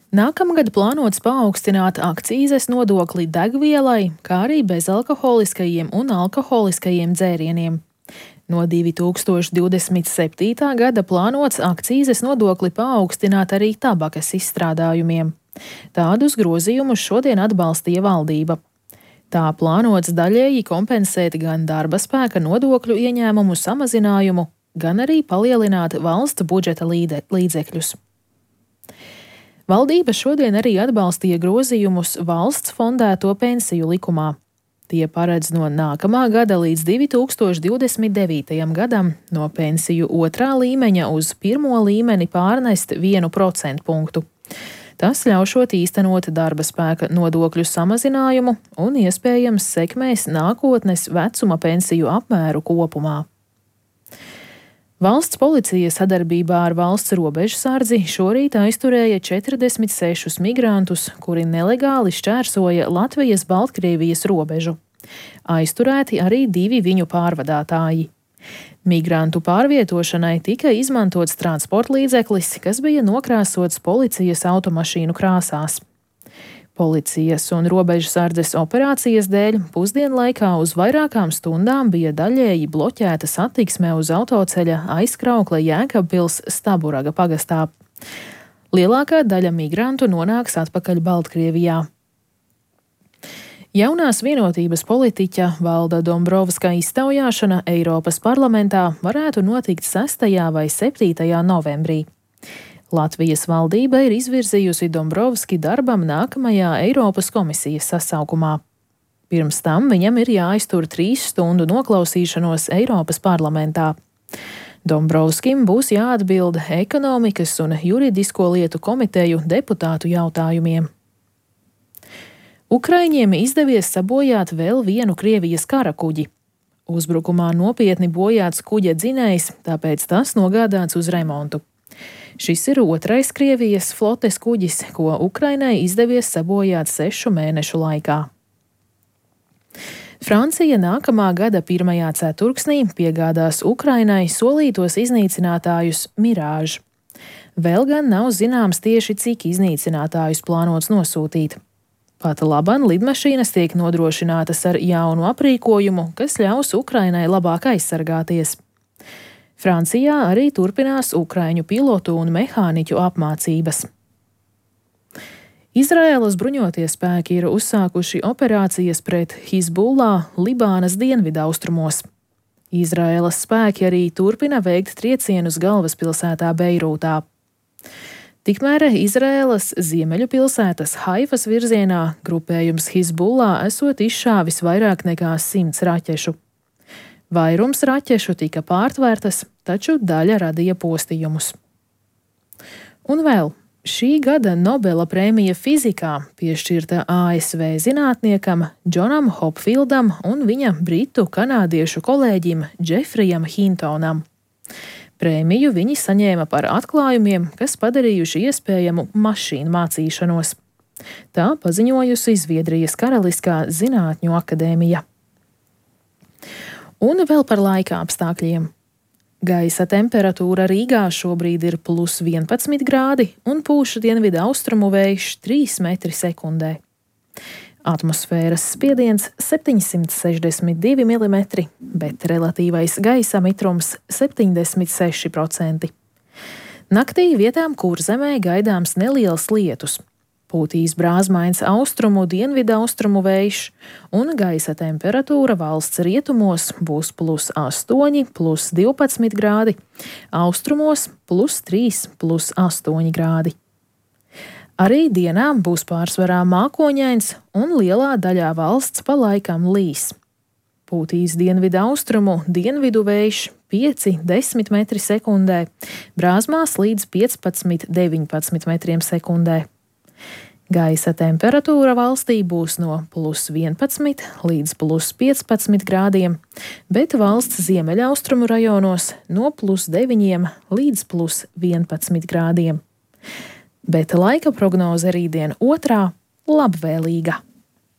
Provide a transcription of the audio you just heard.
Nākamgad plānots paaugstināt akcīzes nodokli degvielai, kā arī bezalkoholiskajiem un alkoholiskajiem dzērieniem. No 2027. gada plānots akcīzes nodokli paaugstināt arī tabakas izstrādājumiem. Tādus grozījumus šodien atbalstīja valdība. Tā plānots daļēji kompensēt gan darba spēka nodokļu ieņēmumu samazinājumu, gan arī palielināt valsts budžeta līdzekļus. Valdība šodien arī atbalstīja grozījumus valsts fondēto pensiju likumā. Tie paredz no nākamā gada līdz 2029. gadam no pensiju otrā līmeņa uz pirmo līmeni pārnest 1% punktu. Tas ļaušot īstenot darba spēka nodokļu samazinājumu un iespējams sekmēs nākotnes vecuma pensiju apmēru kopumā. Valsts policija sadarbībā ar valsts robežsardzi šorīt aizturēja 46 migrantus, kuri nelegāli šķērsoja Latvijas-Baltkrievijas robežu. Aizturēti arī 2 viņu pārvadātāji. Migrantu pārvietošanai tika izmantots transportlīdzeklis, kas bija nokrāsots policijas automašīnu krāsās. Policijas un robežsardzes operācijas dēļ pusdienlaikā uz vairākām stundām bija daļēji bloķēta satiksme uz autoceļa Aizkraukle Jēkabpils Staburaga pagastā. Lielākā daļa migrantu nonāks atpakaļ Baltkrievijā. Jaunās vienotības politiķa Valda Dombrovska iztaujāšana Eiropas parlamentā varētu notikt 6. vai 7. novembrī. Latvijas valdība ir izvirzījusi Dombrovski darbam nākamajā Eiropas komisijas sasaukumā. Pirms tam viņam ir jāaiztur 3 stundu noklausīšanos Eiropas parlamentā. Dombrovskim būs jāatbild ekonomikas un juridisko lietu komiteju deputātu jautājumiem. Ukraiņiem izdevies sabojāt vēl vienu Krievijas karakuģi. Uzbrukumā nopietni bojāts kuģa dzinējs, tāpēc tas nogādāts uz remontu. Šis ir otrais Krievijas flotes kuģis, ko Ukrainai izdevies sabojāt 6 mēnešu laikā. Francija nākamā gada 1. ceturksnī piegādās Ukrainai solītos iznīcinātājus Mirage. Vēl gan nav zināms tieši, cik iznīcinātājus plānots nosūtīt. Pat laban lidmašīnas tiek nodrošinātas ar jaunu aprīkojumu, kas ļaus Ukrainai labāk aizsargāties. Francijā arī turpinās ukraiņu pilotu un mehāniķu apmācības. Izraēlas bruņotie spēki ir uzsākuši operācijas pret Hizbullah Libānas dienvidaustrumos. Izraēlas spēki arī turpina veikt triecienus galvaspilsētā Beirūtā. Tikmēr Izraēlas ziemeļu pilsētas Haifas virzienā grupējums Hizbullah esot izšāvis vairāk nekā 100 raķešu. Vairums raķešu tika pārtvērtas, taču daļa radīja postījumus. Un vēl šī gada Nobela prēmija fizikā piešķirta ASV zinātniekam Džonam Hopfildam un viņa britu-kanādiešu kolēģim Džefrijam Hintonam. Prēmiju viņi saņēma par atklājumiem, kas padarījuši iespējamu mašīnu mācīšanos. Tā paziņojusi Zviedrijas Karaliskā zinātņu akadēmija. Un vēl par laika apstākļiem. Gaisa temperatūra Rīgā šobrīd ir +11 grādi un pūš dienvidu austrumu vējš 3 metri sekundē. Atmosfēras spiediens 762 mm, bet relatīvais gaisa mitrums 76%. Naktī vietām Kurzemē gaidāms neliels lietus. Pūtīs brāzmains austrumu dienvidaustrumu vējš, un gaisa temperatūra valsts rietumos būs +8, +12 grādi, austrumos +3, +8 grādi. Arī dienā būs pārsvarā mākoņains, un lielā daļā valsts pa laikam līs. Pūtīs dienvidaustrumu dienvidu vējš 5–10 metri sekundē, brāzmās līdz 15–19 metriem sekundē. Gaisa temperatūra valstī būs no +11 līdz +15 grādiem, bet valsts ziemeļaustrumu rajonos no +9 līdz +11 grādiem. Bet laika prognoze rītdien otrā labvēlīga.